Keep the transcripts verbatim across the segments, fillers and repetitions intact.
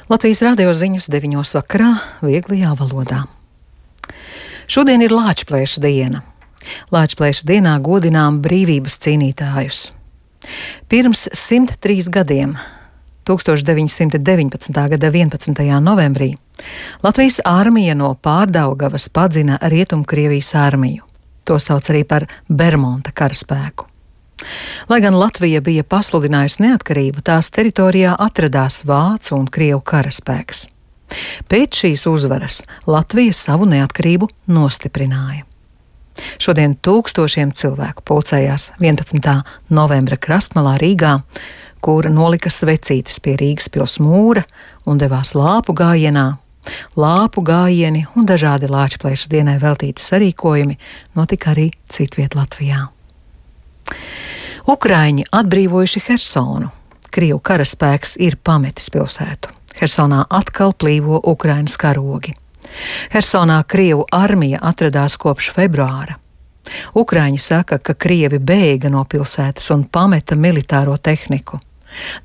Latvijas radio ziņas deviņos vakarā vieglajā valodā. Šodien ir Lāčplēša diena. Lāčplēša dienā godinām brīvības cīnītājus. Pirms simt trīs gadiem, tūkstoš deviņi simti deviņpadsmitā gada vienpadsmitajā novembrī, Latvijas armija no Pārdaugavas padzina Rietumkrievijas armiju. To sauc arī par Bermonta karaspēku. Lai gan Latvija bija pasludinājusi neatkarību, tās teritorijā atradās vācu un krievu karaspēks. Pēc šīs uzvaras Latvija savu neatkarību nostiprināja. Šodien tūkstošiem cilvēku pulcējās vienpadsmitā novembra krastmalā Rīgā, kur nolika svecītes pie Rīgas pils mūra un devās lāpu gājienā. Lāpu gājieni un dažādi Lāčplēša dienai veltīti sarīkojumi notika arī citviet Latvijā. Ukraiņi atbrīvojuši Hersonu. Krievu karaspēks ir pametis pilsētu. Hersonā atkal plīvo Ukrainas karogi. Hersonā Krievu armija atradās kopš februāra. Ukraiņi saka, ka Krievi bēga no pilsētas un pameta militāro tehniku.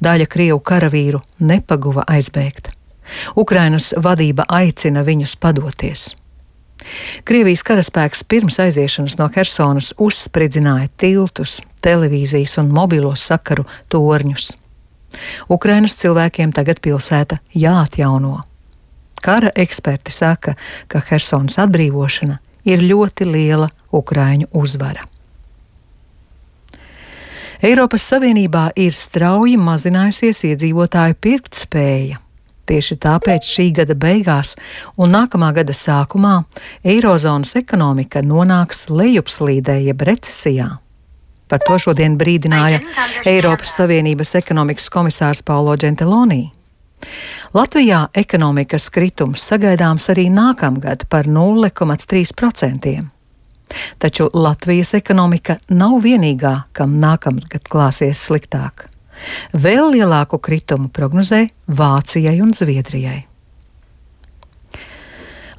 Daļa Krievu karavīru nepaguva aizbēgt. Ukrainas vadība aicina viņus padoties. Krievijas karaspēks pirms aiziešanas no Hersonas uzspridzināja tiltus, televīzijas un mobilo sakaru torņus. Ukrainas cilvēkiem tagad pilsēta jāatjauno. Kara eksperti saka, ka Hersonas atbrīvošana ir ļoti liela Ukraiņu uzvara. Eiropas Savienībā ir strauji mazinājusies iedzīvotāju pirktspēja. Tieši tāpēc šī gada beigās un nākamā gada sākumā Eirozonas ekonomika nonāks lejupslīdē jeb recesijā. Par to šodien brīdināja Eiropas Savienības ekonomikas komisārs Paulo Gentiloni. Latvijā ekonomikas kritums sagaidāms arī nākamgad par nulle komats trīs procenti. Taču Latvijas ekonomika nav vienīgā, kam nākamgad klāsies sliktāk. Vēl lielāku kritumu prognozē Vācijai un Zviedrijai.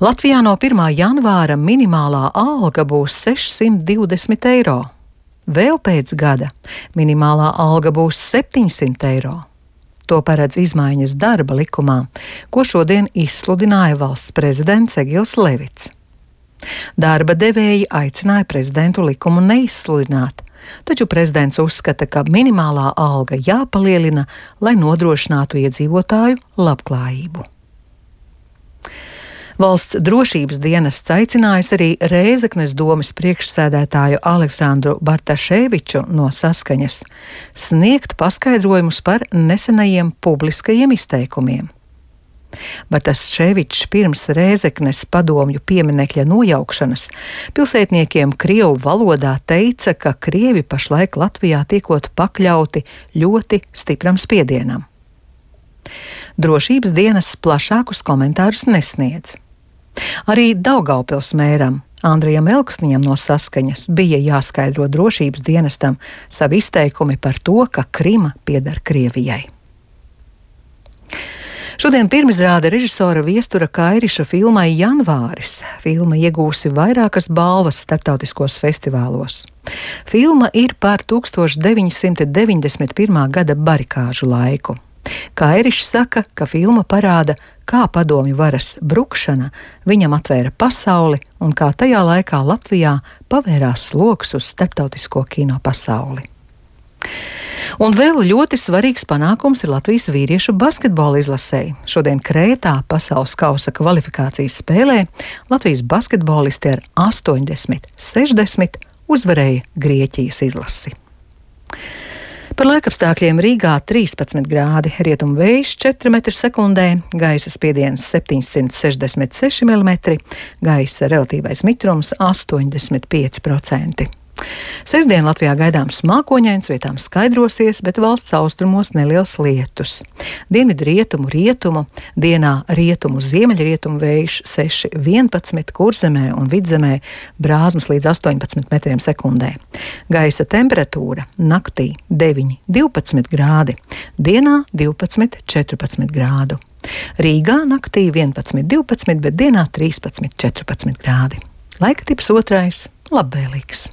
Latvijā no pirmā janvāra minimālā alga būs sešsimt divdesmit eiro. Vēl pēc gada minimālā alga būs septiņsimt eiro. To paredz izmaiņas darba likumā, ko šodien izsludināja valsts prezidents Egils Levits. Darba devēji aicināja prezidentu likumu neizsludināt, taču prezidents uzskata, ka minimālā alga jāpalielina, lai nodrošinātu iedzīvotāju labklājību. Valsts drošības dienests aicinājis arī Rēzeknes domes priekšsēdētāju Aleksandru Bartaševiču no Saskaņas sniegt paskaidrojumus par nesenajiem publiskajiem izteikumiem. Bartaševičs pirms Rēzeknes padomju pieminekļa nojaukšanas pilsētniekiem krievu valodā teica, ka krievi pašlaik Latvijā tiekot pakļauti ļoti stipram spiedienam. Drošības dienests plašākus komentārus nesniedz. Arī Daugavpils mēram Andrijam Elksniņam no Saskaņas bija jāskaidro drošības dienestam savi izteikumi par to, ka Krima pieder Krievijai. Šodien pirmizrāde režisora Viestura Kairiša filmai Janvāris. Filma iegūsi vairākas balvas starptautiskos festivālos. Filma ir par tūkstoš deviņi simti deviņdesmit pirmā gada barikāžu laiku. Kairišs saka, ka filma parāda, kā padomju varas brukšana viņam atvēra pasauli un kā tajā laikā Latvijā pavērās loks uz starptautisko kino pasauli. Un vēl ļoti svarīgs panākums ir Latvijas vīriešu basketbola izlasei. Šodien Krētā pasaules kausa kvalifikācijas spēlē Latvijas basketbolisti ar astoņdesmit sešdesmit uzvarēja Grieķijas izlasi. Par laikapstākļiem Rīgā trīspadsmit grādi, rietumu vējš četri metri sekundē, gaisa spiediens septiņsimt sešdesmit seši milimetri, gaisa relatīvais mitrums astoņdesmit pieci procenti. Sestdien Latvijā gaidāms mākoņains, vietām skaidrosies, bet valsts austrumos neliels lietus. Dienvidu rietumu rietumu, dienā rietumu ziemeļrietumu vējš seši vienpadsmit, Kurzemē un Vidzemē brāzmas līdz astoņpadsmit metriem sekundē. Gaisa temperatūra naktī deviņi divpadsmit grādi, dienā divpadsmit četrpadsmit grādu. Rīgā naktī vienpadsmit divpadsmit, bet dienā trīspadsmit četrpadsmit grādi. Laika tips otrais - labvēlīgs.